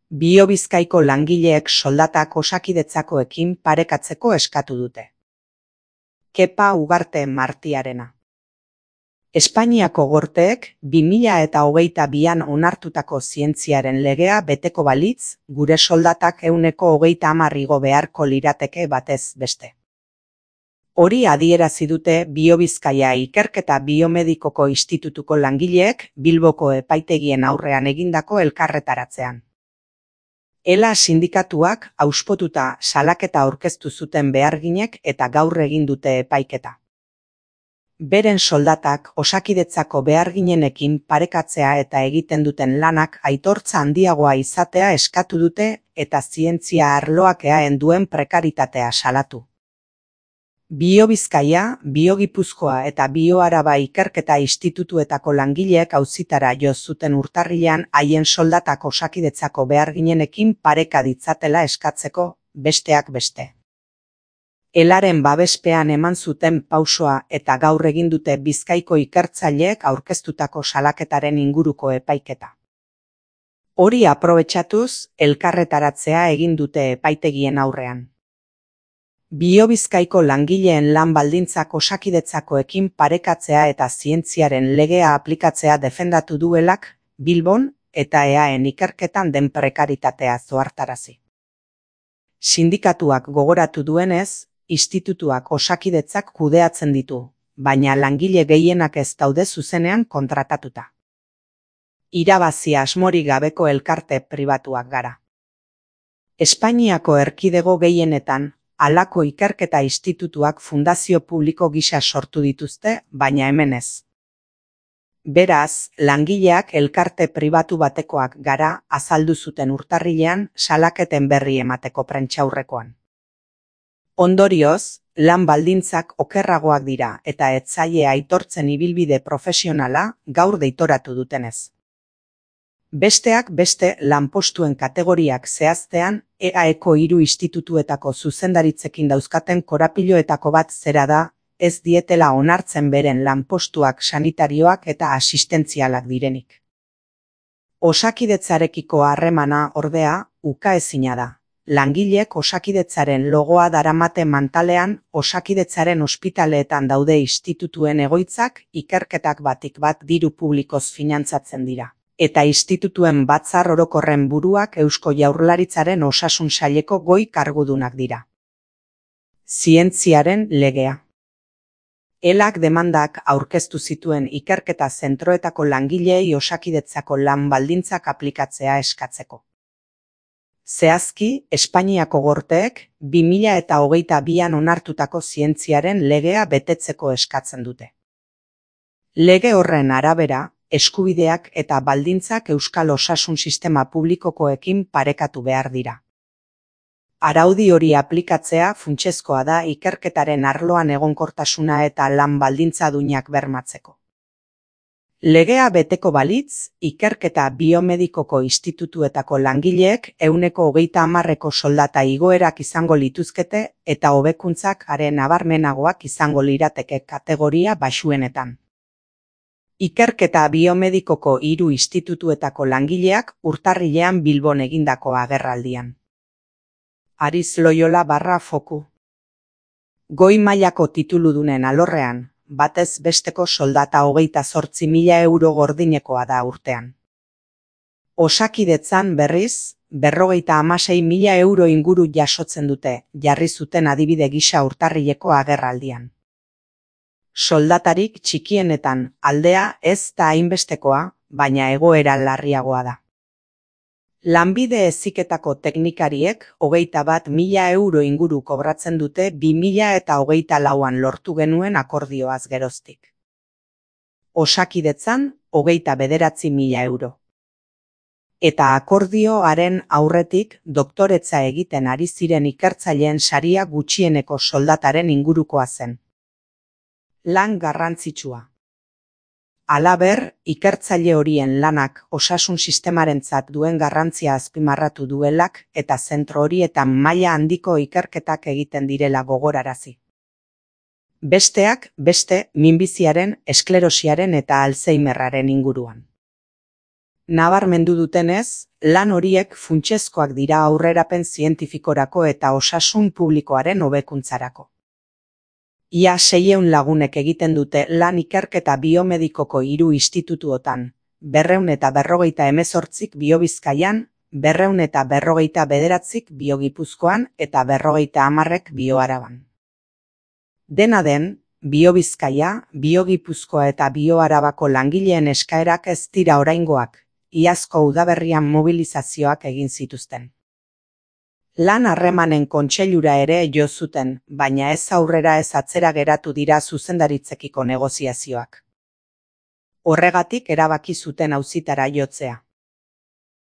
Biobizkaiko langileek soldatak Osakidetzakoekin parekatzeko eskatu dute. Kepa Ugarte Martiarena. Espainiako gorteek 2022an onartutako zientziaren legea beteko balitz, gure soldatak 130 igo beharko lirateke batez beste. Hori adierazi dute Biobizkaia Ikerketa Biomedikoko Institutuko langileek Bilboko epaitegien aurrean egindako elkarretaratzean. ELA sindikatuak auspotuta salaketa aurkeztu zuten beharginek eta gaur egin dute epaiketa. Beren soldatak Osakidetzako beharginenekin parekatzea eta egiten duten lanak aitortza handiagoa izatea eskatu dute eta zientzia arloak eaen duen prekaritatea salatu. Biobizkaia, Biogipuzkoa eta Bioaraba Ikerketa Institutuetako langileek auzitara jo zuten urtarrilean haien soldatak Osakidetzako beharginenekin pareka ditzatela eskatzeko, besteak beste. ELAren babespean eman zuten pausoa eta gaur egin dute Bizkaiko ikertzaileek aurkeztutako salaketaren inguruko epaiketa. Hori aprobetxatuz, elkarretaratzea egin dute epaitegien aurrean. Biobizkaiko langileen lan baldintzak Osakidetzakoekin parekatzea eta zientziaren legea aplikatzea defendatu duelak, Bilbon eta eaen ikerketan den prekaritatea zohartarazi. Sindikatuak gogoratu duenez, institutuak Osakidetzak kudeatzen ditu, baina langile gehienak ez daude zuzenean kontratatuta. Irabazi asmorik gabeko elkarte pribatuak gara. Espainiako erkidego gehienetan, halako ikerketa institutuak fundazio publiko gisa sortu dituzte, baina hemen ez. Beraz, langileak elkarte pribatu batekoak gara azaldu zuten urtarrilean salaketen berri emateko prentsaurrekoan. Ondorioz, lan baldintzak okerragoak dira eta ez zaie aitortzen ibilbide profesionala gaur deitoratu dutenez. Besteak beste lanpostuen kategoriak zehaztean, EAeko 3 institutuetako zuzendaritzekin dauzkaten korapiloetako bat zera da, ez dietela onartzen beren lanpostuak sanitarioak eta asistentzialak direnik. Osakidetzarekiko harremana ordea, ukaezina da. Langilek Osakidetzaren logoa daramate mantalean Osakidetzaren ospitaleetan daude institutuen egoitzak ikerketak batik bat diru publikoz finantzatzen dira. Eta institutuen batzar orokorren buruak Eusko Jaurlaritzaren osasun saileko goi kargudunak dira. Zientziaren legea. ELAk demandak aurkeztu zituen ikerketa zentroetako langileei Osakidetzako lan baldintzak aplikatzea eskatzeko. Zehazki, Espainiako gorteek 2022an onartutako zientziaren legea betetzeko eskatzen dute. Lege horren arabera, eskubideak eta baldintzak euskal osasun sistema publikokoekin parekatu behar dira. Araudi hori aplikatzea funtsezkoa da ikerketaren arloan egonkortasuna eta lan baldintza duinak bermatzeko. Legea beteko balitz, Ikerketa Biomedikoko Institutuetako langileek 130 soldata igoerak izango lituzkete eta hobekuntzak haren nabarmenagoak izango lirateke kategoria baxuenetan. Ikerketa Biomedikoko 3 institutuetako langileak urtarrilean Bilbon egindako agerraldian. Aritz Loyola /Foku. Goi mailako tituludunen alorrean, batez besteko soldata 28.000 euro gordinekoa da urtean. Osakidetzan berriz, 56.000 euro inguru jasotzen dute, jarri zuten adibide gisa urtarrileko agerraldian. Soldatarik txikienetan aldea ez da hainbestekoa, baina egoera larriagoa da. Lanbide heziketako teknikariek 21.000 euro inguru kobratzen dute 2024an lortu genuen akordioaz geroztik. Osakidetzan 29.000 euro. Eta akordioaren aurretik doktoretza egiten ari ziren ikertzaileen saria gutxieneko soldataren ingurukoa zen. Lan garrantzitsua. Halaber, ikertzaile horien lanak osasun sistemarentzat duen garrantzia azpimarratu duelak eta zentro horietan maila handiko ikerketak egiten direla gogorarazi. Besteak beste minbiziaren, esklerosiaren eta Alzheimerraren inguruan. Nabarmendu dutenez, lan horiek funtsezkoak dira aurrerapen zientifikorako eta osasun publikoaren hobekuntzarako. Ia 600 lagunek egiten dute lan ikerketa biomedikoko 3 institutuotan, 258 Biobizkaian, 249 Biogipuzkoan eta 50 Bioaraban. Dena den, Biobizkaia, Biogipuzkoa eta Bioarabako langileen eskaerak ez dira oraingoak, iazko udaberrian mobilizazioak egin zituzten. Lan harremanen kontseilura ere jo zuten, baina ez aurrera ez atzera geratu dira zuzendaritzekiko negoziazioak. Horregatik erabaki zuten auzitara jotzea.